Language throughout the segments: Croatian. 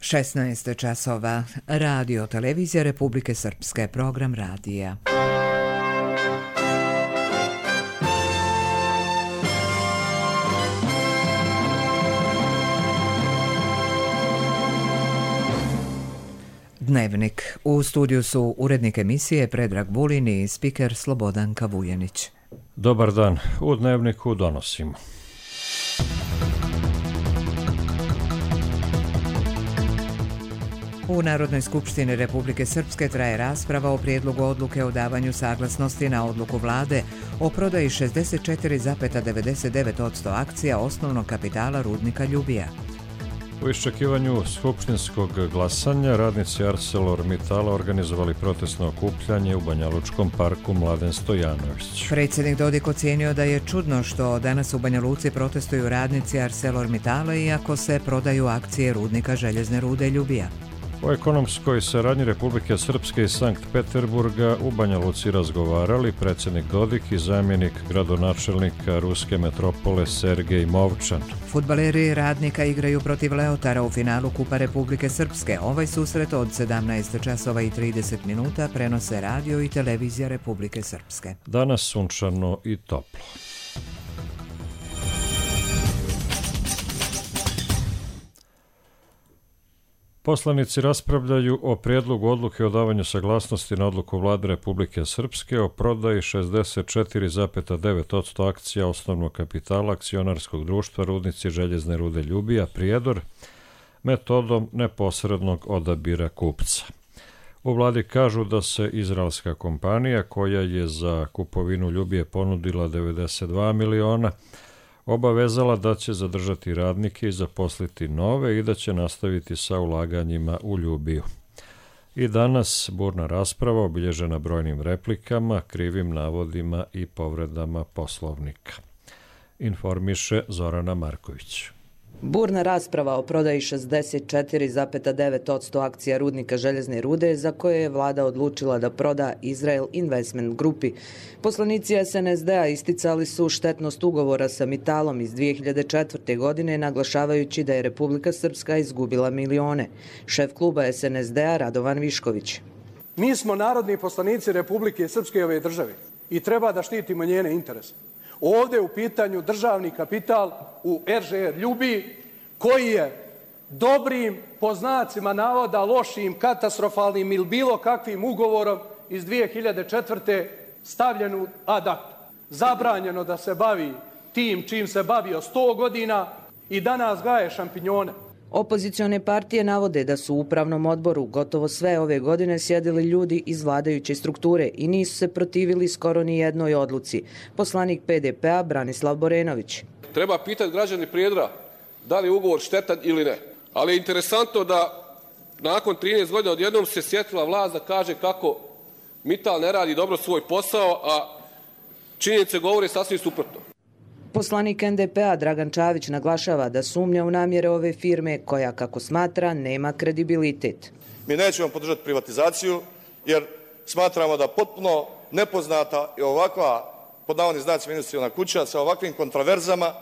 16 časova. Radio Televizija Republike Srpske, program radija. Dnevnik. U studiju su urednik emisije Predrag Vulin i spiker Slobodanka Vujanić. Dobar dan. U Dnevniku donosimo. U Narodnoj skupštini Republike Srpske traje rasprava o prijedlogu odluke o davanju saglasnosti na odluku vlade o prodaji 64,99% akcija osnovnog kapitala rudnika Ljubija. U iščekivanju skupštinskog glasanja radnici ArcelorMittala organizovali protestno okupljanje u Banja Lučkom parku Mladen Stojanović. Predsjednik Dodik ocijenio da je čudno što danas u Banja Luci protestuju radnici ArcelorMittala iako se prodaju akcije rudnika željezne rude Ljubija. O ekonomskoj saradnji Republike Srpske i Sankt Peterburga u Banja Luci razgovarali predsjednik Dodik i zamjenik gradonačelnika ruske metropole Sergej Movčan. Fudbaleri Radnika igraju protiv Leotara u finalu Kupa Republike Srpske. Ovaj susret od 17 časova i 30 minuta prenose radio i televizija Republike Srpske. Danas sunčano i toplo. Poslanici raspravljaju o prijedlogu odluke o davanju saglasnosti na odluku Vlade Republike Srpske o prodaji 64,9% akcija osnovnog kapitala akcionarskog društva Rudnici željezne rude Ljubija Prijedor metodom neposrednog odabira kupca. U vladi kažu da se izraelska kompanija koja je za kupovinu Ljubije ponudila 92 miliona obavezala da će zadržati radnike i zaposliti nove i da će nastaviti sa ulaganjima u Ljubiju. I danas burna rasprava obilježena brojnim replikama, krivim navodima i povredama Poslovnika. Informiše Zorana Marković. Burna rasprava o prodaji 64,9% akcija rudnika željezne rude za koje je vlada odlučila da proda Israel Investment Grupi. Poslanici SNSD-a isticali su štetnost ugovora sa Mittalom iz 2004. godine, naglašavajući da je Republika Srpska izgubila milione. Šef kluba SNSD-a Radovan Višković. Mi smo narodni poslanici Republike Srpske ove države i treba da štitimo njene interese. Ovdje je u pitanju državni kapital u RŽR Ljubiji koji je dobrim, po znacima navoda, lošim, katastrofalnim ili bilo kakvim ugovorom iz 2004. stavljen u ad acta. Zabranjeno da se bavi tim čim se bavio 100 godina i danas gaje šampinjone. Opozicione partije navode da su u upravnom odboru gotovo sve ove godine sjedili ljudi iz vladajuće strukture i nisu se protivili skoro ni jednoj odluci. Poslanik PDP-a Branislav Borenović. Treba pitati građani Prijedora da li je ugovor štetan ili ne. Ali je interesantno da nakon 13 godina odjednom se sjetila vlast da kaže kako Mittal ne radi dobro svoj posao, a činjenice govore sasvim suprotno. Poslanik NDP-a Dragan Čavić naglašava da sumnja u namjere ove firme koja, kako smatra, nema kredibilitet. Mi nećemo podržati privatizaciju jer smatramo da potpuno nepoznata i ovakva, pod navodnim znacima, investiciona kuća sa ovakvim kontraverzama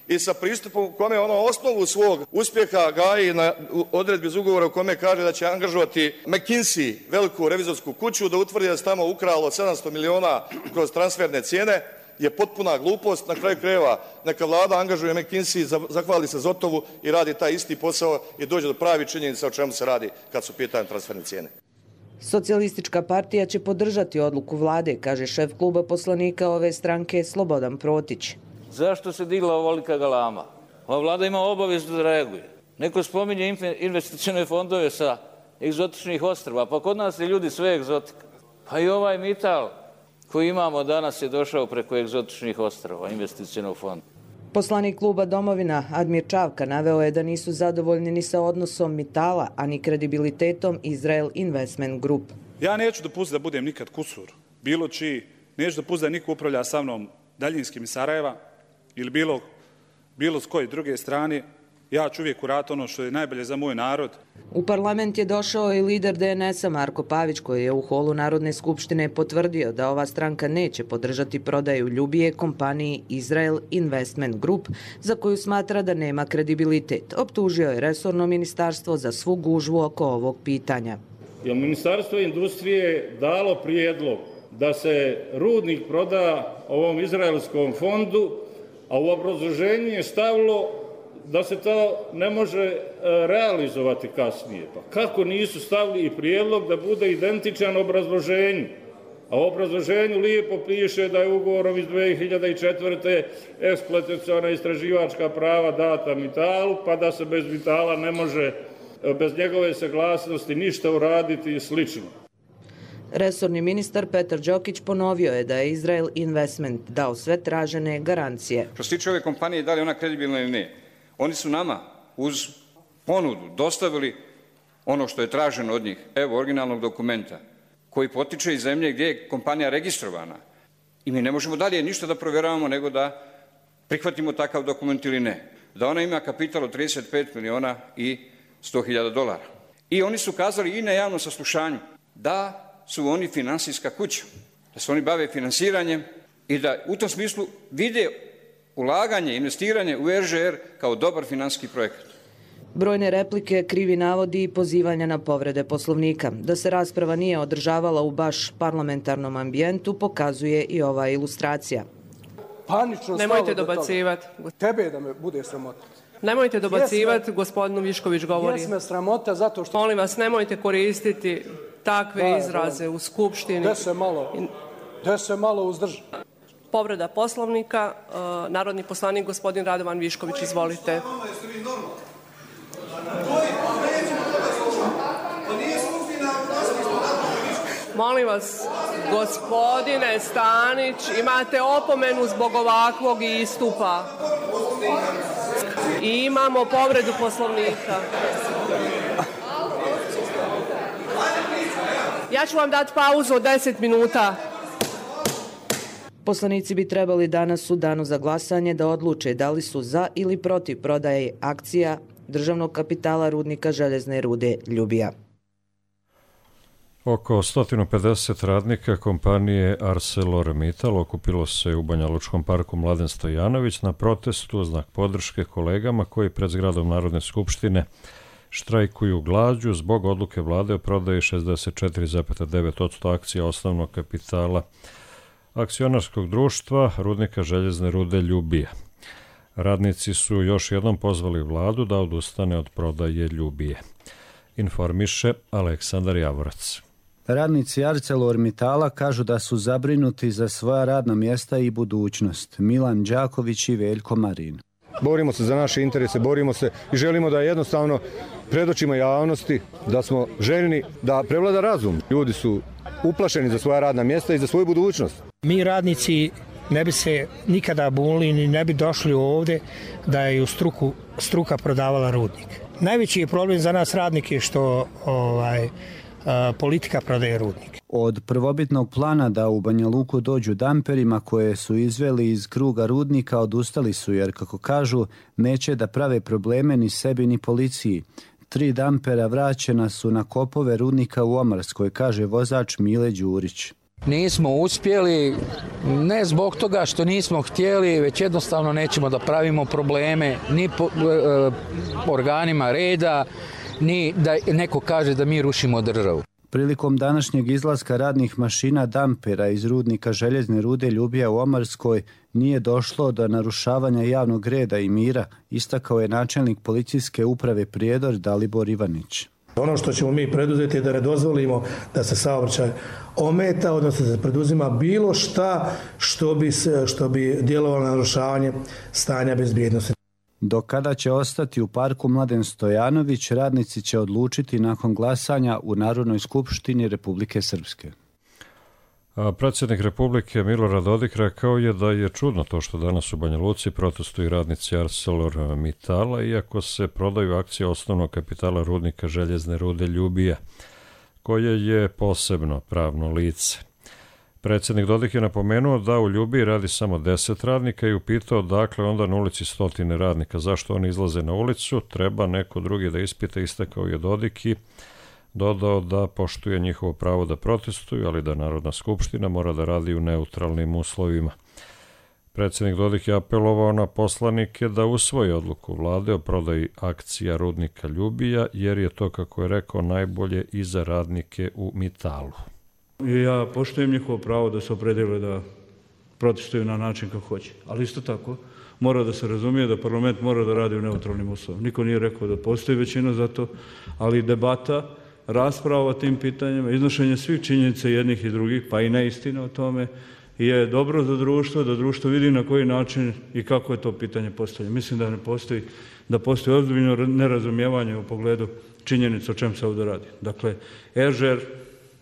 i sa pristupom u kome ono osnovu svog uspjeha gaji na odredbi iz ugovora u kome kaže da će angažovati McKinsey, veliku revizorsku kuću, da utvrdi da se tamo ukralo 700 miliona kroz transferne cijene, je potpuna glupost. Na kraju krajeva neka vlada angažuje McKinsey, zahvali se Zotovu i radi taj isti posao i dođe do pravi činjenica o čemu se radi kad su pitanje transferne cijene. Socijalistička partija će podržati odluku vlade, kaže šef kluba poslanika ove stranke Slobodan Protić. Zašto se digla ovolika galama? Ova vlada ima obavezu da reaguje. Neko spominje investicione fondove sa egzotičnih ostrva, pa kod nas je ljudi sve egzotika. Pa i ovaj Mittal koji imamo danas je došao preko egzotičnih ostrva, investicionog fonda. Poslanik kluba Domovina Admir Čavka naveo je da nisu zadovoljni ni sa odnosom Mittala, ani kredibilitetom Israel Investment Group. Ja neću dopustiti da budem nikad kusur, bilo čiji, neću dopustiti da niko upravlja sa mnom daljinskim iz Sarajeva ili bilo s koje druge strane, Ja ću uvijek uraditi ono što je najbolje za moj narod. U parlament je došao i lider DNS-a Marko Pavić, koji je u holu Narodne skupštine potvrdio da ova stranka neće podržati prodaju Ljubije kompaniji Israel Investment Group, za koju smatra da nema kredibilitet. Optužio je resorno ministarstvo za svu gužvu oko ovog pitanja. Je Ministarstvo industrije dalo prijedlog da se rudnik proda ovom izraelskom fondu, a u obrazloženju je stavilo da se to ne može realizovati kasnije. Pa kako nisu stavili i prijedlog da bude identičan obrazloženju? A u obrazloženju lijepo piše da je ugovorom iz 2004. eksploataciona istraživačka prava data Mitalu, pa da se bez Mitala ne može, bez njegove saglasnosti, ništa uraditi i slično. Resorni ministar Petar Đokić ponovio je da je Israel Investment dao sve tražene garancije. Što se tiče ove kompanije, da li ona kredibilna ili ne? Oni su nama uz ponudu dostavili ono što je traženo od njih, evo originalnog dokumenta, koji potiče iz zemlje gdje je kompanija registrovana. I mi ne možemo dalje ništa da provjeravamo nego da prihvatimo takav dokument ili ne. Da ona ima kapital od 35 miliona i 100.000 dolara. I oni su kazali i na javnom saslušanju da su oni finansijska kuća, da se oni bave finansiranjem i da u tom smislu vide ulaganje, investiranje u RŽR kao dobar financijski projekat. Brojne replike, krivi navodi i pozivanja na povrede Poslovnika. Da se rasprava nije održavala u baš parlamentarnom ambijentu pokazuje i ova ilustracija. Panično nemojte dobacivati. Tebe da me bude sramota. Nemojte dobacivati, gospodinu Višković govori. Jesme sramota zato što... Molim vas, nemojte koristiti takve izraze u Skupštini. Da se malo uzdrži. Povreda Poslovnika, narodni poslanik gospodin Radovan Višković, izvolite. Molim vas, gospodine Stanić, imate opomenu zbog ovakvog istupa. I imamo povredu Poslovnika. Ja ću vam dati pauzu od 10 minuta. Poslanici bi trebali danas u danu za glasanje da odluče da li su za ili protiv prodaje akcija državnog kapitala rudnika željezne rude Ljubija. Oko 150 radnika kompanije ArcelorMittal okupilo se u Banjalučkom parku Mladen Stojanović na protestu u znak podrške kolegama koji pred zgradom Narodne skupštine štrajkuju glađu zbog odluke vlade o prodaji 64,9% akcija osnovnog kapitala akcionarskog društva rudnika željezne rude Ljubija. Radnici su još jednom pozvali vladu da odustane od prodaje Ljubije. Informiše Aleksandar Javorac. Radnici ArcelorMittala kažu da su zabrinuti za svoja radna mjesta i budućnost. Milan Đaković i Veljko Marin. Borimo se za naše interese, borimo se i želimo da jednostavno predočimo javnosti da smo željni da prevlada razum. Ljudi su uplašeni za svoja radna mjesta i za svoju budućnost. Mi radnici ne bi se nikada bunili ni ne bi došli ovdje da je u struka prodavala rudnik. Najveći je problem za nas radnike što politika prodaje rudnik. Od prvobitnog plana da u Banja Luku dođu damperima koje su izveli iz kruga rudnika odustali su jer, kako kažu, neće da prave probleme ni sebi ni policiji. 3 dampera vraćena su na kopove rudnika u Omarskoj, kaže vozač Mile Đurić. Nismo uspjeli, ne zbog toga što nismo htjeli, već jednostavno nećemo da pravimo probleme ni organima reda, ni da neko kaže da mi rušimo državu. Prilikom današnjeg izlaska radnih mašina dampera iz rudnika željezne rude Ljubija u Omarskoj nije došlo do narušavanja javnog reda i mira, istakao je načelnik policijske uprave Prijedor Dalibor Ivanić. Ono što ćemo mi preduzeti je da ne dozvolimo da se saobraćaj ometa, odnosno da se preduzima bilo šta što bi djelovalo na narušavanje stanja bezbjednosti. Do kada će ostati u parku Mladen Stojanović, radnici će odlučiti nakon glasanja u Narodnoj skupštini Republike Srpske. Predsjednik Republike Milorad Dodik rekao je da je čudno to što danas u Banja Luci protestuju radnici ArcelorMittala, iako se prodaju akcije osnovnog kapitala rudnika željezne rude Ljubija, koje je posebno pravno lice. Predsjednik Dodik je napomenuo da u Ljubiji radi samo 10 radnika i upitao dakle onda na ulici 100 radnika. Zašto oni izlaze na ulicu? Treba neko drugi da ispita, istakao je Dodik i dodao da poštuje njihovo pravo da protestuju, ali da Narodna skupština mora da radi u neutralnim uslovima. Predsjednik Dodik je apelovao na poslanike da usvoje odluku vlade o prodaji akcija rudnika Ljubija, jer je to, kako je rekao, najbolje i za radnike u Mitalu. Ja poštujem njihovo pravo da se opredele da protestuju na način kako hoće, ali isto tako mora da se razumije da parlament mora da radi u neutralnim uslovima. Niko nije rekao da postoji većina za to, ali debata, rasprava o tim pitanjima, iznošenje svih činjenica jednih i drugih, pa i neistina o tome, je dobro za društvo, da društvo vidi na koji način i kako je to pitanje postavljeno. Mislim da postoji ozbiljno nerazumijevanje u pogledu činjenica o čem se ovdje radi. Dakle, RŽR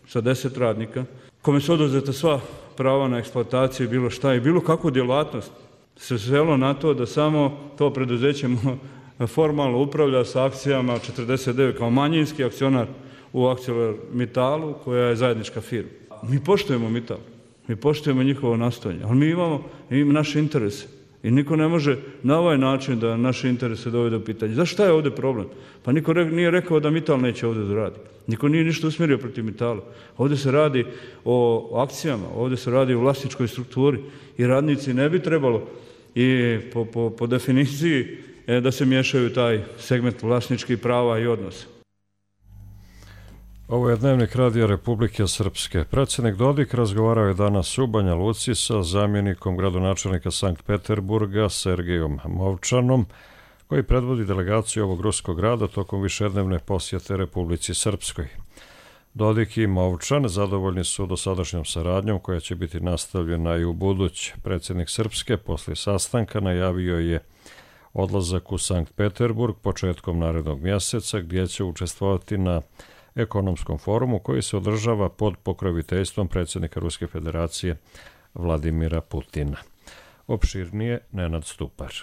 sa 10 radnika, kome su oduzeta sva prava na eksploataciju, bilo šta i bilo kakvu djelatnost, se svelo na to da samo to preduzeće formalno upravlja sa akcijama 49 kao manjinski akcionar u ArcelorMittalu, koja je zajednička firma. Mi poštujemo Mittal, mi poštujemo njihovo nastojanje, ali mi imamo naše interese. I niko ne može na ovaj način da naše interese dovede u pitanje. Zašto šta je ovdje problem? Pa niko nije rekao da Mittal neće ovdje da radi. Niko nije ništa usmjerio protiv Mittala. Ovdje se radi o akcijama, ovdje se radi o vlasničkoj strukturi i radnici ne bi trebalo i po definiciji da se miješaju taj segment vlasničkih prava i odnosa. Ovo je Dnevnik Radija Republike Srpske. Predsjednik Dodik razgovarao je danas u Banja Luci sa zamjenikom gradonačelnika Sankt Peterburga Sergejom Movčanom, koji predvodi delegaciju ovog ruskog grada tokom višednevne posjete Republici Srpskoj. Dodik i Movčan zadovoljni su dosadašnjom saradnjom koja će biti nastavljena i u buduće. Predsjednik Srpske poslije sastanka najavio je odlazak u Sankt Peterburg početkom narednog mjeseca, gdje će učestvovati na ekonomskom forumu koji se održava pod pokroviteljstvom predsjednika Ruske federacije Vladimira Putina. Opširnije Nenad Stupar.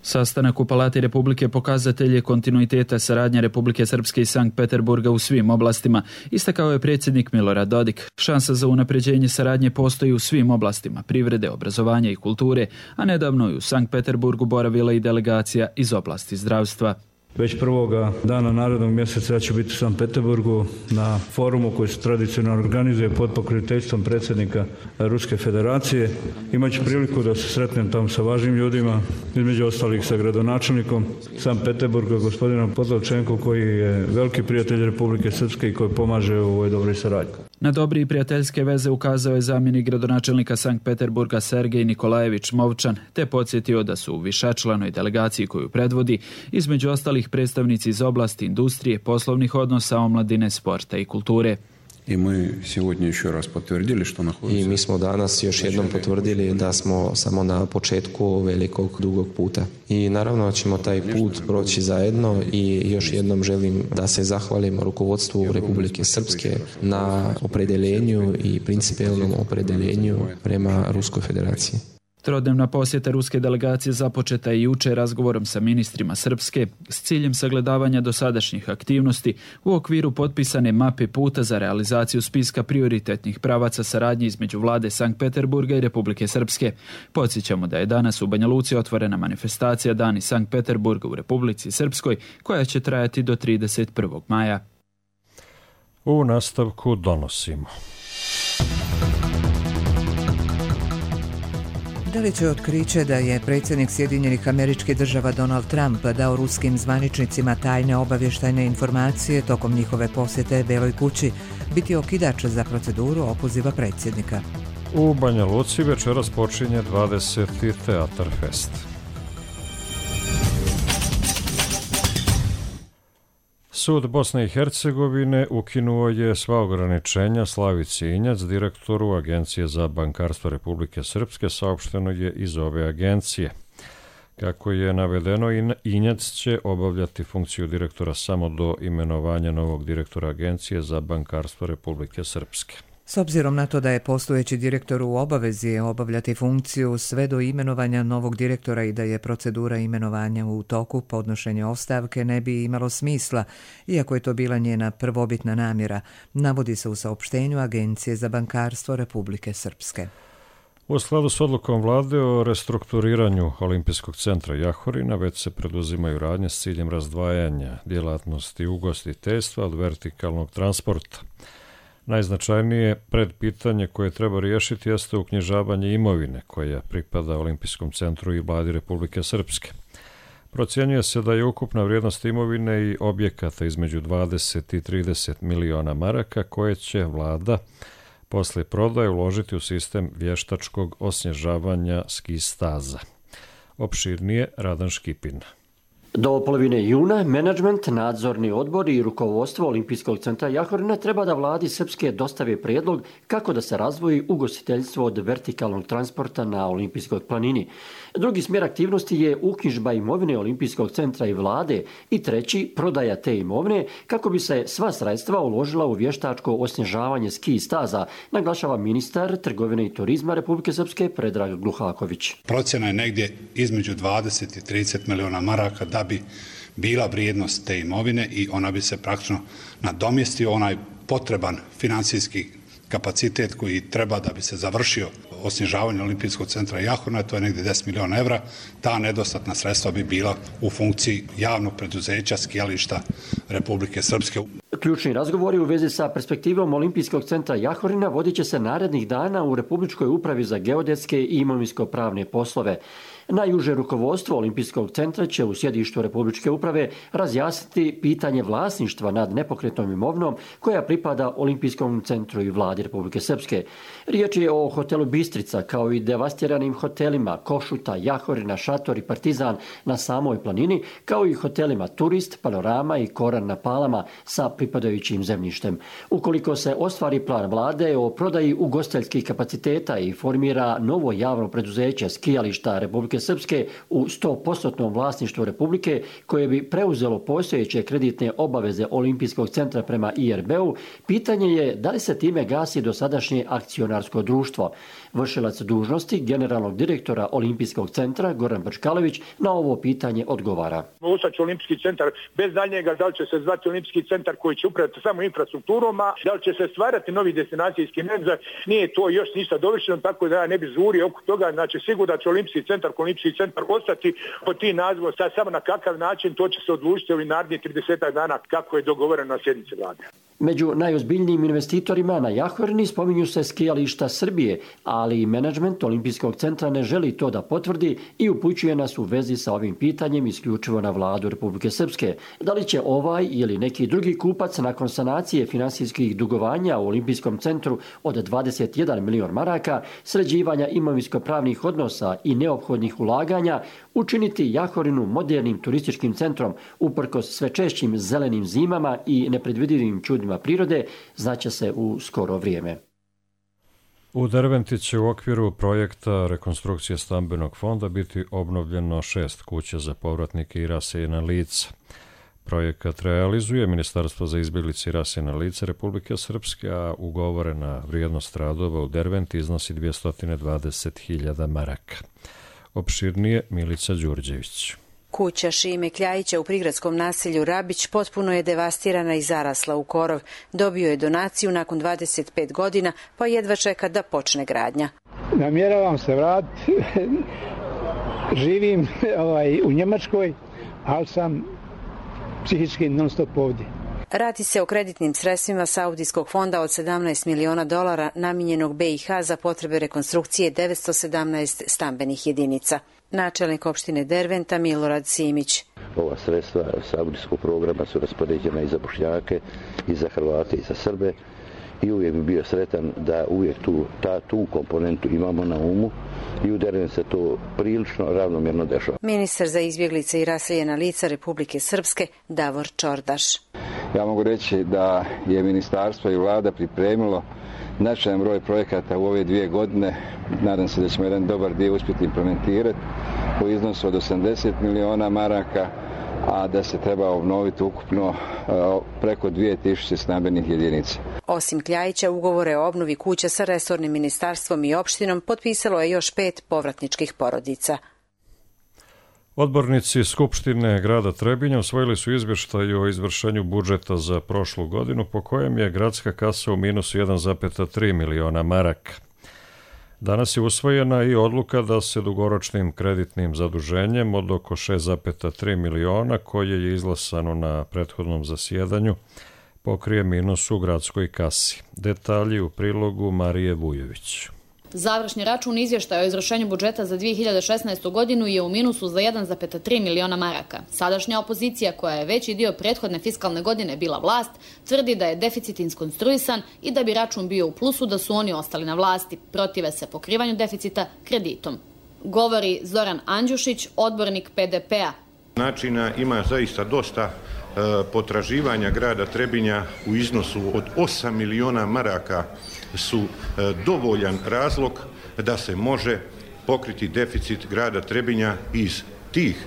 Sastanak u Palati Republike pokazatelj je kontinuiteta saradnje Republike Srpske i Sankt Peterburga u svim oblastima, istakao je predsjednik Milorad Dodik. Šansa za unapređenje saradnje postoji u svim oblastima privrede, obrazovanja i kulture, a nedavno je u Sankt Peterburgu boravila i delegacija iz oblasti zdravstva. Već prvoga dana narednog mjeseca ja ću biti u Sankt Peterburgu na forumu koji se tradicionalno organizuje pod pokroviteljstvom predsjednika Ruske federacije. Imaću priliku da se sretnem tamo sa važnim ljudima, između ostalih sa gradonačelnikom Sankt Peterburga, gospodinom Podlavčenkom, koji je veliki prijatelj Republike Srpske i koji pomaže u ovoj dobroj saradnji. Na dobri i prijateljske veze ukazao je zamjenik gradonačelnika Sankt Peterburga Sergej Nikolajević Movčan, te podsjetio da su u višečlanoj delegaciji koju predvodi između ostalih predstavnici iz oblasti industrije, poslovnih odnosa, omladine, sporta i kulture. I mi smo danas još jednom potvrdili da smo samo na početku velikog, dugog puta. I naravno ćemo taj put proći zajedno i još jednom želim da se zahvalim rukovodstvu Republike Srpske na opredeljenju i principijelnom opredeljenju prema Ruskoj federaciji. Trodnevna posjeta ruske delegacije započeta je jučer razgovorom sa ministrima Srpske s ciljem sagledavanja dosadašnjih aktivnosti u okviru potpisane mape puta za realizaciju spiska prioritetnih pravaca saradnje između vlade Sankt Peterburga i Republike Srpske. Podsjećamo da je danas u Banja Luci otvorena manifestacija Dani Sankt Peterburga u Republici Srpskoj, koja će trajati do 31. maja. U nastavku donosimo. Da li će otkriće da je predsjednik Sjedinjenih Američkih Država Donald Trump dao ruskim zvaničnicima tajne obavještajne informacije tokom njihove posjete Beloj kući biti okidač za proceduru opoziva predsjednika? U Banja Luci večeras počinje 20. Teatar Fest. Sud Bosne i Hercegovine ukinuo je sva ograničenja Slavici Injac, direktoru Agencije za bankarstvo Republike Srpske, saopšteno je iz ove agencije. Kako je navedeno, Injac će obavljati funkciju direktora samo do imenovanja novog direktora Agencije za bankarstvo Republike Srpske. S obzirom na to da je postojeći direktor u obavezi obavljati funkciju sve do imenovanja novog direktora i da je procedura imenovanja u toku, podnošenje ostavke ne bi imalo smisla, iako je to bila njena prvobitna namjera, navodi se u saopštenju Agencije za bankarstvo Republike Srpske. U skladu s odlukom vlade o restrukturiranju Olimpijskog centra Jahorina već se preduzimaju radnje s ciljem razdvajanja djelatnosti ugostiteljstva od vertikalnog transporta. Najznačajnije predpitanje koje treba riješiti jeste uknjižavanje imovine koja pripada Olimpijskom centru i vladi Republike Srpske. Procjenjuje se da je ukupna vrijednost imovine i objekata između 20 i 30 miliona maraka koje će vlada poslije prodaje uložiti u sistem vještačkog osnježavanja ski staza. Opširnije Radan Škipin. Do polovine juna menadžment, nadzorni odbor i rukovodstvo Olimpijskog centra Jahorina treba da vladi Srpske dostave prijedlog kako da se razvoji ugostiteljstvo od vertikalnog transporta na Olimpijskoj planini. Drugi smjer aktivnosti je uknjižba imovine Olimpijskog centra i vlade i treći prodaja te imovine kako bi se sva sredstva uložila u vještačko osnježavanje ski staza, naglašava ministar trgovine i turizma Republike Srpske Predrag Gluhaković. Procjena je negdje između 20 i 30 miliona maraka da bi bila vrijednost te imovine i ona bi se praktično nadomjestio onaj potreban financijski kapacitet koji treba da bi se završio osnježavanje Olimpijskog centra Jahorina, to je negdje 10 miliona evra. Ta nedostatna sredstva bi bila u funkciji javnog preduzeća skijališta Republike Srpske. Ključni razgovori u vezi sa perspektivom Olimpijskog centra Jahorina vodit će se narednih dana u Republičkoj upravi za geodetske i imovinsko-pravne poslove. Najuže rukovodstvo Olimpijskog centra će u sjedištu Republičke uprave razjasniti pitanje vlasništva nad nepokretnom imovinom koja pripada Olimpijskom centru i vladi Republike Srpske. Riječ je o hotelu Bistrica kao i devastiranim hotelima Košuta, Jahorina, Šator i Partizan na samoj planini, kao i hotelima Turist, Panorama i Koran na Palama sa pripadajućim zemljištem. Ukoliko se ostvari plan vlade o prodaji ugostiteljskih kapaciteta i formira novo javno preduzeće skijališta Republike Srpske u 100% vlasništvu Republike koje bi preuzelo postojeće kreditne obaveze Olimpijskog centra prema IRB-u, pitanje je da li se time gasi dosadašnje akcionarsko društvo. Vršilac dužnosti generalnog direktora Olimpijskog centra Goran Brčkalović na ovo pitanje odgovara. Ostaće Olimpijski centar bez daljnjega, da li će se zvati Olimpijski centar koji će upravljati samo infrastrukturom, a da li će se stvarati novi destinacijski menadžer, nije to još ništa dovršeno, tako da ja ne bi žurio oko toga. Znači sigurno da će Olimpijski centar ostati pod tim nazivom, sad samo na kakav način to će se odlučiti ovih narednih 30 dana kako je dogovoreno na sjednici vlade. Među najozbiljnijim investitorima na Jahorini spominju se skijališta Srbije, ali i menadžment Olimpijskog centra ne želi to da potvrdi i upućuje nas u vezi sa ovim pitanjem isključivo na vladu Republike Srpske. Da li će ovaj ili neki drugi kupac nakon sanacije finansijskih dugovanja u Olimpijskom centru od 21 milion maraka, sređivanja imovinsko-pravnih odnosa i neophodnih ulaganja učiniti Jahorinu modernim turističkim centrom uprkos sve češćim zelenim zimama i nepredvidivim čudima prirode, znaće se u skoro vrijeme. U Derventi će u okviru projekta rekonstrukcije stambenog fonda biti obnovljeno 6 kuća za povratnike i raseljena lica. Projekat realizuje Ministarstvo za izbjeglice i raseljena lica Republike Srpske, a ugovorena vrijednost radova u Derventi iznosi 220.000 maraka. Opširnije Milica Đurđević. Kuća Šime Kljajića u prigradskom naselju Rabić potpuno je devastirana i zarasla u korov. Dobio je donaciju nakon 25 godina, pa jedva čeka da počne gradnja. Namjeravam se vratiti. Živim u Njemačkoj, ali sam psihički non stop ovdje. Radi se o kreditnim sredstvima Saudijskog fonda od $17 miliona namijenjenog BiH za potrebe rekonstrukcije 917 stambenih jedinica. Načelnik opštine Derventa Milorad Simić. Ova sredstva saudijskog programa su raspoređena i za Bošnjake, i za Hrvate, i za Srbe. I uvijek bi bio sretan da uvijek tu komponentu imamo na umu i u Derventu se to prilično ravnomjerno dešava. Ministar za izbjeglice i raseljena lica Republike Srpske Davor Čordaš. Ja mogu reći da je ministarstvo i vlada pripremilo značajan broj projekata u ove 2 godine. Nadam se da ćemo jedan dobar dio uspjeti implementirati u iznosu od 80 miliona maraka. a da se treba obnoviti ukupno preko 2000 stambenih jedinica. Osim Kljajića, ugovore o obnovi kuća sa resornim ministarstvom i opštinom potpisalo je još 5 povratničkih porodica. Odbornici Skupštine grada Trebinja usvojili su izvještaj o izvršenju budžeta za prošlu godinu, po kojem je gradska kasa u minusu 1,3 miliona maraka. Danas je usvojena i odluka da se dugoročnim kreditnim zaduženjem od oko 6,3 miliona, koje je izglasano na prethodnom zasjedanju, pokrije minus u gradskoj kasi. Detalji u prilogu Marije Vujović. Završni račun izvještaja o izvršenju budžeta za 2016. godinu je u minusu za 1,3 miliona maraka. Sadašnja opozicija, koja je veći dio prethodne fiskalne godine bila vlast, tvrdi da je deficit iskonstruisan i da bi račun bio u plusu da su oni ostali na vlasti. Protive se pokrivanju deficita kreditom. Govori Zoran Andjušić, odbornik PDP-a. Načina ima zaista dosta potraživanja grada Trebinja u iznosu od 8 miliona maraka su dovoljan razlog da se može pokriti deficit grada Trebinja iz tih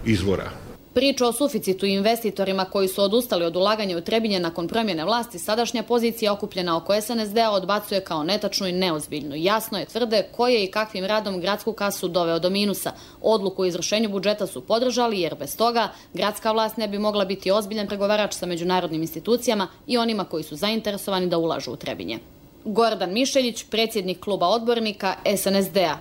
izvora. Priča o suficitu i investitorima koji su odustali od ulaganja u Trebinje nakon promjene vlasti, sadašnja pozicija okupljena oko SNSD-a odbacuje kao netačnu i neozbiljnu. Jasno je, tvrde, ko je i kakvim radom gradsku kasu doveo do minusa. Odluku o izvršenju budžeta su podržali jer bez toga gradska vlast ne bi mogla biti ozbiljan pregovarač sa međunarodnim institucijama i onima koji su zainteresovani da ulažu u Trebinje. Gordan Mišeljić, predsjednik kluba odbornika SNSD-a.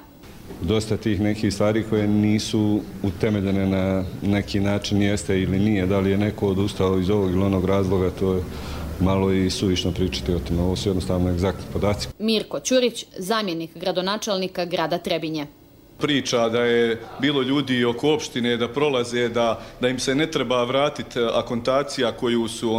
Dosta tih nekih stvari koje nisu utemeljene na neki način jeste ili nije. Da li je neko odustao iz ovog ili onog razloga, to je malo i suvišno pričati o tim. Ovo su jednostavno egzaktni podaci. Mirko Ćurić, zamjenik gradonačelnika grada Trebinje. Priča da je bilo ljudi oko opštine da prolaze, da im se ne treba vratiti akontacija koju su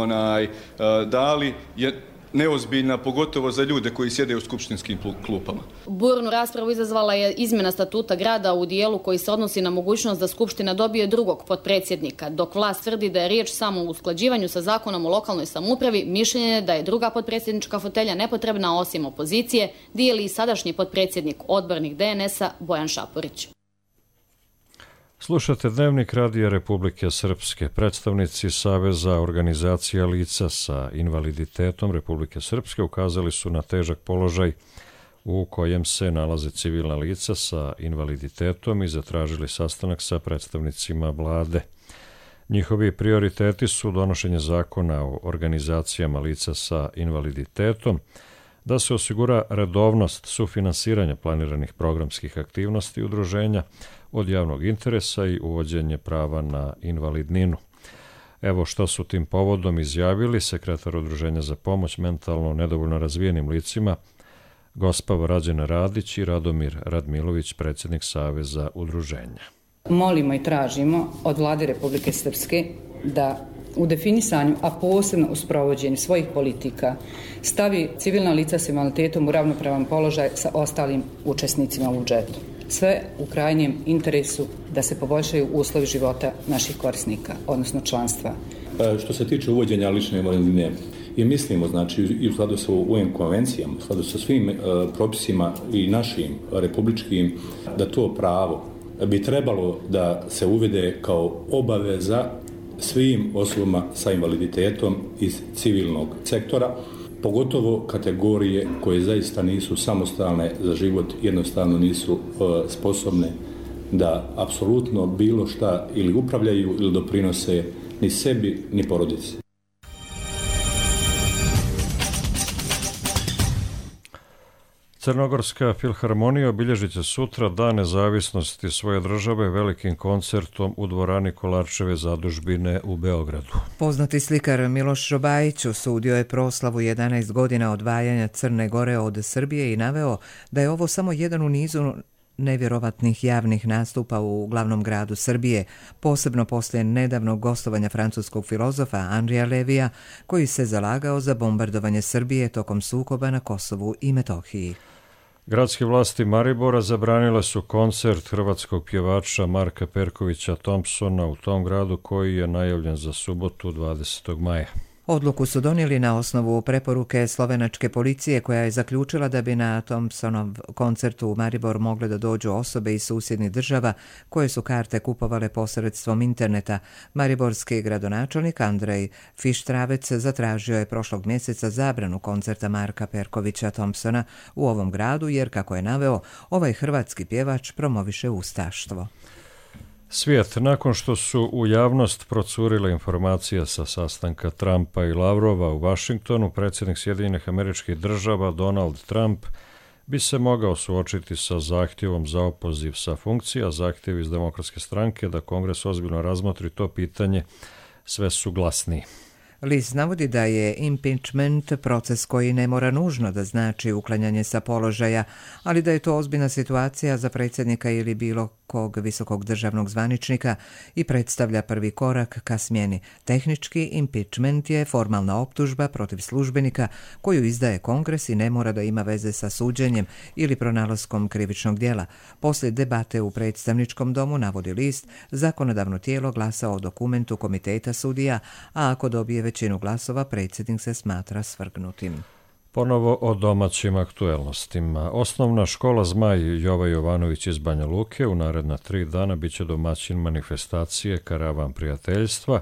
dali, je neozbiljna, pogotovo za ljude koji sjede u skupštinskim klupama. Burnu raspravu izazvala je izmjena statuta grada u dijelu koji se odnosi na mogućnost da Skupština dobije drugog potpredsjednika. Dok vlast tvrdi da je riječ samo o usklađivanju sa zakonom o lokalnoj samoupravi, mišljenje je da je druga potpredsjednička fotelja nepotrebna osim opozicije, dijeli i sadašnji potpredsjednik, odbornik DNS-a Bojan Šapurić. Slušate Dnevnik Radija Republike Srpske. Predstavnici Saveza organizacija lica sa invaliditetom Republike Srpske ukazali su na težak položaj u kojem se nalaze civilna lica sa invaliditetom i zatražili sastanak sa predstavnicima vlade. Njihovi prioriteti su donošenje zakona o organizacijama lica sa invaliditetom, da se osigura redovnost sufinansiranja planiranih programskih aktivnosti udruženja od javnog interesa i uvođenje prava na invalidninu. Evo što su tim povodom izjavili sekretar Udruženja za pomoć mentalno nedovoljno razvijenim licima, gospa Rađena Radić i Radomir Radmilović, predsjednik Saveza udruženja. Molimo i tražimo od Vlade Republike Srpske da u definisanju, a posebno u sprovođenju svojih politika, stavi civilna lica s invaliditetom u ravnopravan položaj sa ostalim učesnicima u budžetu. Sve u krajnjem interesu da se poboljšaju uslovi života naših korisnika, odnosno članstva. Što se tiče uvođenja lične invalidnine, i mislimo, znači, i u skladu sa UN konvencijama, u skladu sa svim propisima i našim republičkim, da to pravo bi trebalo da se uvede kao obaveza svim osobama sa invaliditetom iz civilnog sektora, pogotovo kategorije koje zaista nisu samostalne za život, jednostavno nisu sposobne da apsolutno bilo šta ili upravljaju ili doprinose ni sebi ni porodici. Crnogorska filharmonija obilježit će sutra Dan nezavisnosti svoje države velikim koncertom u dvorani Kolarčeve zadužbine u Beogradu. Poznati slikar Miloš Robajić osudio je proslavu 11 godina odvajanja Crne Gore od Srbije i naveo da je ovo samo jedan u nizu nevjerovatnih javnih nastupa u glavnom gradu Srbije, posebno poslije nedavnog gostovanja francuskog filozofa Andrija Levija, koji se zalagao za bombardovanje Srbije tokom sukoba na Kosovu i Metohiji. Gradske vlasti Maribora zabranile su koncert hrvatskog pjevača Marka Perkovića Thompsona u tom gradu, koji je najavljen za subotu 20. maja. Odluku su donijeli na osnovu preporuke slovenačke policije koja je zaključila da bi na Thompsonov koncertu u Maribor mogle da dođu osobe iz susjednih država koje su karte kupovale posredstvom interneta. Mariborski gradonačelnik Andrej Fištravec zatražio je prošlog mjeseca zabranu koncerta Marka Perkovića Thompsona u ovom gradu jer, kako je naveo, ovaj hrvatski pjevač promoviše ustaštvo. Svijet, nakon što su u javnost procurile informacije sa sastanka Trumpa i Lavrova u Vašingtonu, predsjednik Sjedinjenih Američkih Država Donald Trump bi se mogao suočiti sa zahtjevom za opoziv sa funkcija. Zahtjev iz Demokratske stranke da Kongres ozbiljno razmotri to pitanje sve su glasniji. List navodi da je impeachment proces koji ne mora nužno da znači uklanjanje sa položaja, ali da je to ozbiljna situacija za predsjednika ili bilo kog visokog državnog zvaničnika i predstavlja prvi korak ka smjeni. Tehnički impeachment je formalna optužba protiv službenika koju izdaje Kongres i ne mora da ima veze sa suđenjem ili pronalaskom krivičnog djela. Poslije debate u predstavničkom domu, navodi list, zakonodavno tijelo glasa o dokumentu komiteta sudija, a ako dobije većinu glasova, predsjednik se smatra svrgnutim. Ponovo o domaćim aktuelnostima. Osnovna škola Zmaj Jova Jovanović iz Banja Luke u naredna 3 dana biće domaćin manifestacije Karavan prijateljstva,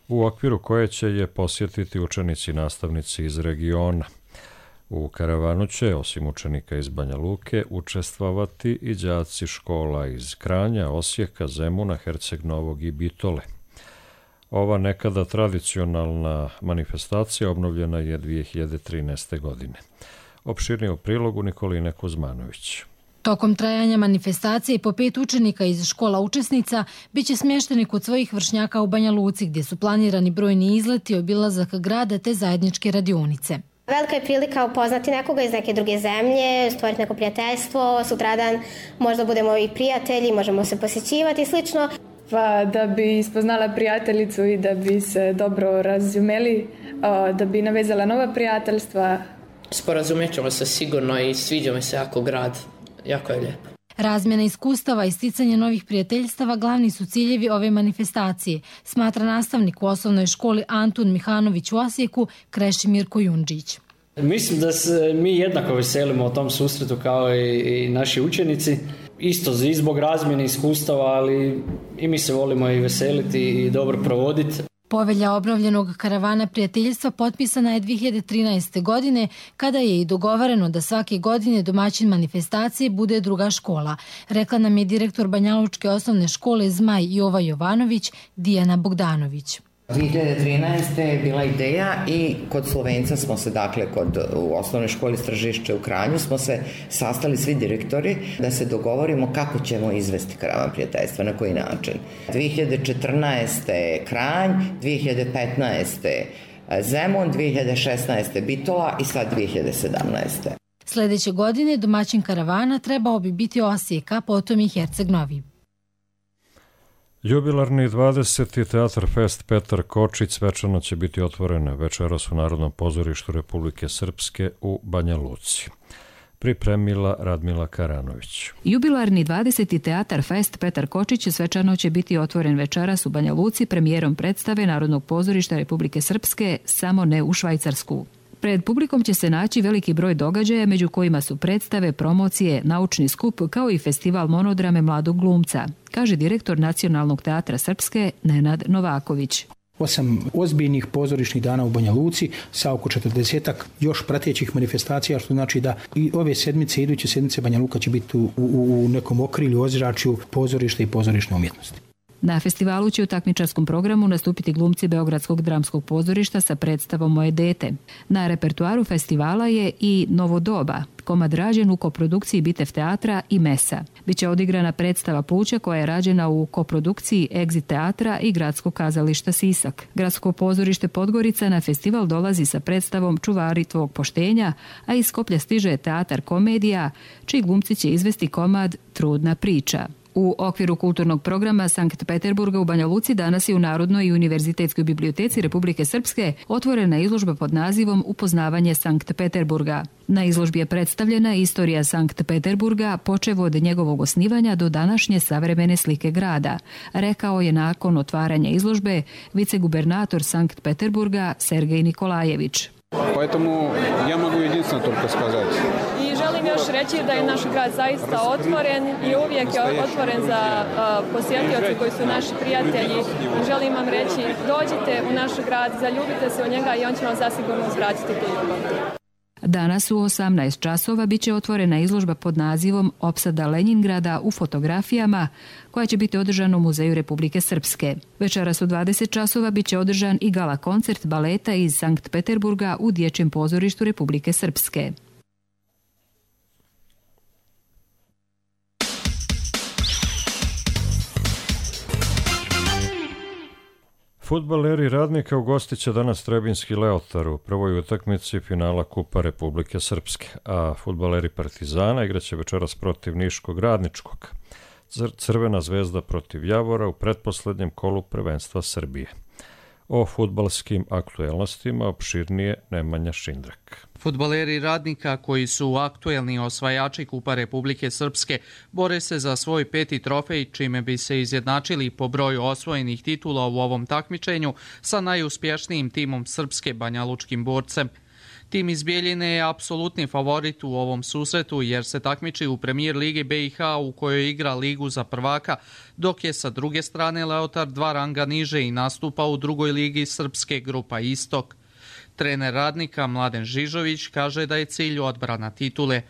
u okviru koje će je posjetiti učenici i nastavnici iz regiona. U karavanu će, osim učenika iz Banja Luke, učestvovati i đaci škola iz Kranja, Osijeka, Zemuna, Herceg Novog i Bitole. Ova nekada tradicionalna manifestacija obnovljena je 2013. godine. Opširnije u prilogu Nikoline Kuzmanović. Tokom trajanja manifestacije po 5 učenika iz škola učesnica biće smješteni kod svojih vršnjaka u Banja Luci, gdje su planirani brojni izleti, obilazak grada te zajedničke radionice. Velika je prilika upoznati nekoga iz neke druge zemlje, stvoriti neko prijateljstvo, sutradan možda budemo i prijatelji, možemo se posjećivati i slično. Pa da bi spoznala prijateljicu i da bi se dobro razumeli, da bi navezala nova prijateljstva. Sporazumjet ćemo se sigurno i sviđa mi se jako grad, jako je lijepo. Razmjena iskustava i sticanje novih prijateljstava glavni su ciljevi ove manifestacije, smatra nastavnik u osnovnoj školi Antun Mihanović u Osijeku, Krešimir Kojundžić. Mislim da se mi jednako veselimo o tom susretu kao i naši učenici. Isto i zbog razmjene iskustava, ali i mi se volimo i veseliti i dobro provoditi. Povelja obnovljenog karavana prijateljstva potpisana je 2013. godine, kada je i dogovoreno da svake godine domaćin manifestacije bude druga škola. Rekla nam je direktor Banjalučke osnovne škole Zmaj Jova Jovanović, Dijana Bogdanović. 2013. je bila ideja i kod Slovenca smo se, dakle, u osnovnoj školi Stražišće u Kranju smo se sastali svi direktori da se dogovorimo kako ćemo izvesti karavan prijateljstva, na koji način. 2014. Kranj, 2015. Zemun, 2016. Bitola i sad 2017. Sljedeće godine domaćin karavana trebao bi biti Osijek, a potom i Herceg Novi. Jubilarni 20. Teatar Fest Petar Kočić svečano će biti otvoren večeras u Narodnom pozorištu Republike Srpske u Banja Luci. Pripremila Radmila Karanović. Jubilarni 20. Teatar Fest Petar Kočić svečano će biti otvoren večeras u Banja Luci premijerom predstave Narodnog pozorišta Republike Srpske Samo ne u Švajcarsku. Pred publikom će se naći veliki broj događaja, među kojima su predstave, promocije, naučni skup, kao i festival monodrame mladog glumca, kaže direktor Nacionalnog teatra Srpske Nenad Novaković. 8 ozbiljnih pozorišnih dana u Banja Luci sa oko 40-ak još pratećih manifestacija, što znači da i ove sedmice, iduće sedmice Banja Luka će biti u nekom okrilju, ozračju pozorišta i pozorišne umjetnosti. Na festivalu će u takmičarskom programu nastupiti glumci Beogradskog dramskog pozorišta sa predstavom Moje dete. Na repertuaru festivala je i Novo doba, komad rađen u koprodukciji Bitev teatra i Mesa. Biće odigrana predstava Pluća koja je rađena u koprodukciji Exit teatra i Gradskog kazališta Sisak. Gradsko pozorište Podgorica na festival dolazi sa predstavom Čuvari tvog poštenja, a iz Skoplja stiže teatar Komedija, čiji glumci će izvesti komad Trudna priča. U okviru kulturnog programa Sankt Peterburga u Banja Luci danas je u Narodnoj i univerzitetskoj biblioteci Republike Srpske otvorena izložba pod nazivom Upoznavanje Sankt Peterburga. Na izložbi je predstavljena istorija Sankt Peterburga, počev od njegovog osnivanja do današnje savremene slike grada, rekao je nakon otvaranja izložbe vicegubernator Sankt Peterburga Sergej Nikolajević. Поэтому я могу единственно только сказать. I želim još reći da je naš grad zaista otvoren i uvijek je otvoren za posjetioce koji su naši prijatelji. I želim vam reći, dođite u naš grad, zaljubite se u njega i on će vam zasigurno uzvratiti tu ljubav. Danas u 18 časova biće otvorena izložba pod nazivom Opsada Lenjingrada u fotografijama, koja će biti održana u Muzeju Republike Srpske. Večeras u 20 časova biće održan i gala koncert baleta iz Sankt Peterburga u Dječjem pozorištu Republike Srpske. Fudbaleri Radnika ugostit će danas Trebinski Leotar u prvoj utakmici finala Kupa Republike Srpske, a fudbaleri Partizana igraće večeras protiv Niškog Radničkog. Crvena zvezda protiv Javora u pretposlednjem kolu prvenstva Srbije. O fudbalskim aktuelnostima opširnije Nemanja Šindrak. Fudbaleri Radnika, koji su aktuelni osvajači Kupa Republike Srpske, bore se za svoj 5. trofej, čime bi se izjednačili po broju osvojenih titula u ovom takmičenju sa najuspješnijim timom Srpske, Banjalučkim Borcem. Tim iz Bijeljine je apsolutni favorit u ovom susretu jer se takmiči u Premijer Ligi BiH u kojoj igra ligu za prvaka, dok je sa druge strane Leotar 2 ranga niže i nastupa u drugoj ligi Srpske, grupa Istok. Trener Radnika Mladen Žižović kaže da je cilj odbrana titule.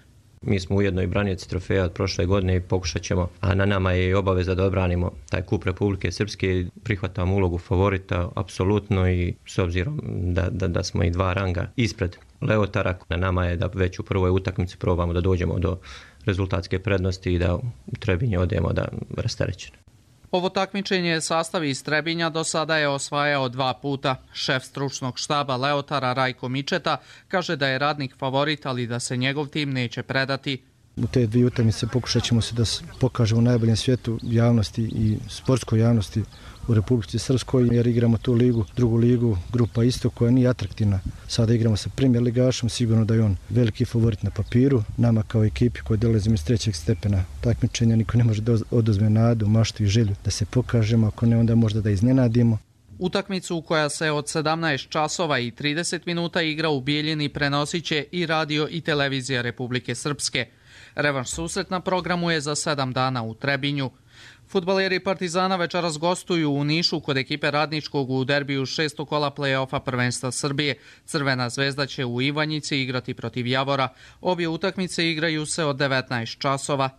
Mi smo ujedno i branioci trofeja od prošle godine i pokušat ćemo, a na nama je i obaveza da odbranimo taj Kup Republike Srpske. Prihvatamo ulogu favorita apsolutno i s obzirom da smo i 2 ranga ispred Leotara, na nama je da već u prvoj utakmici probamo da dođemo do rezultatske prednosti i da u Trebinje odemo da rasterećeno. Ovo takmičenje sastav iz Trebinja do sada je osvajao 2 puta. Šef stručnog štaba Leotara Rajko Mičeta kaže da je Radnik favorit, ali da se njegov tim neće predati. U te 2 utakmice pokušat ćemo se da pokažemo u najboljem svijetu javnosti i sportskoj javnosti u Republici Srpskoj, jer igramo tu ligu, drugu ligu, grupa Istok, koja nije atraktivna. Sada igramo sa Premier ligašom, sigurno da je on veliki favorit na papiru. Nama kao ekipi koji dolazimo iz 3. stepena takmičenja niko ne može da oduzme nadu, maštu i želju da se pokažemo, ako ne onda možda da iznenadimo. Utakmicu koja se od 17 časova i 30 minuta igra u Bijeljini prenosit će i radio i televizija Republike Srpske. Revanš susret na programu je za 7 dana u Trebinju. Fudbaleri Partizana večeras gostuju u Nišu kod ekipe Radničkog u derbiju 6. kola play-offa prvenstva Srbije. Crvena zvezda će u Ivanjici igrati protiv Javora. Obje utakmice igraju se od 19 časova.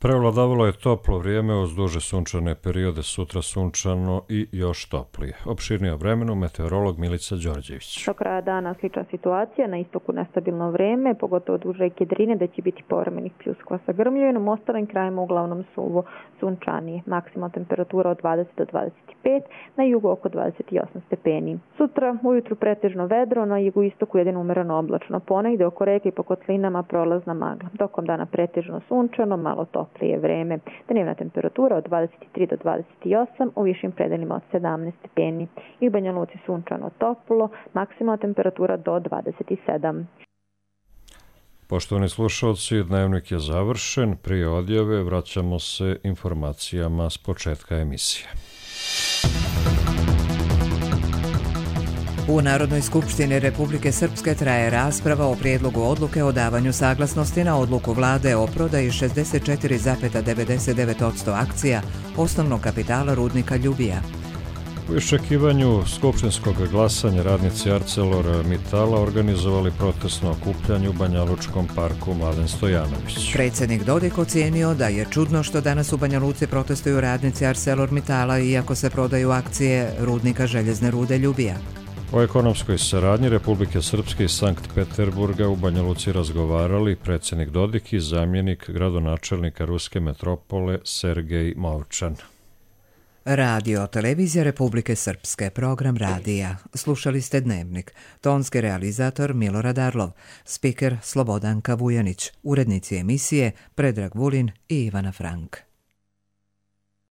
Prevladavalo je toplo vrijeme uz duže sunčane periode, sutra sunčano i još toplije. Opširnije o vremenu meteorolog Milica Đorđević. Do kraja dana slična situacija, na istoku nestabilno vrijeme, pogotovo duž reke Drine, da će biti povremenih pljuskova sa grmljevinom, ostalim krajima uglavnom suvo sunčanije. Maksimalna temperatura od 20 do 25, na jugu oko 28 stepeni. Sutra ujutru pretežno vedro, na jugoistoku jedino umereno oblačno, ponegde oko reke i po kotlinama prolazna magla. Tokom dana pretežno sunčano, malo toplije vreme. Dnevna temperatura od 23 do 28, u višim predelima od 17 stepeni. I u Banja Luci sunčano toplo, maksimalna temperatura do 27. Poštovani slušalci, dnevnik je završen. Prije odjave vraćamo se informacijama s početka emisije. U Narodnoj skupštini Republike Srpske traje rasprava o prijedlogu odluke o davanju saglasnosti na odluku vlade o prodaji 64,99% akcija osnovnog kapitala rudnika Ljubija. U iščekivanju skupštinskog glasanja radnici ArcelorMittala organizovali protestno okupljanje u Banjalučkom parku Mladen Stojanović. Predsjednik Dodik ocijenio da je čudno što danas u Banja Luci protestuju radnici ArcelorMittala iako se prodaju akcije rudnika željezne rude Ljubija. O ekonomskoj saradnji Republike Srpske i Sankt Peterburga u Banja Luci razgovarali predsjednik Dodik i zamjenik gradonačelnika ruske metropole Sergej Movčan. Radio Televizija Republike Srpske, program radija. Slušali ste Dnevnik. Tonski realizator Milorad Arlov, spiker Slobodanka Vujanić, urednici emisije Predrag Vulin i Ivana Frank.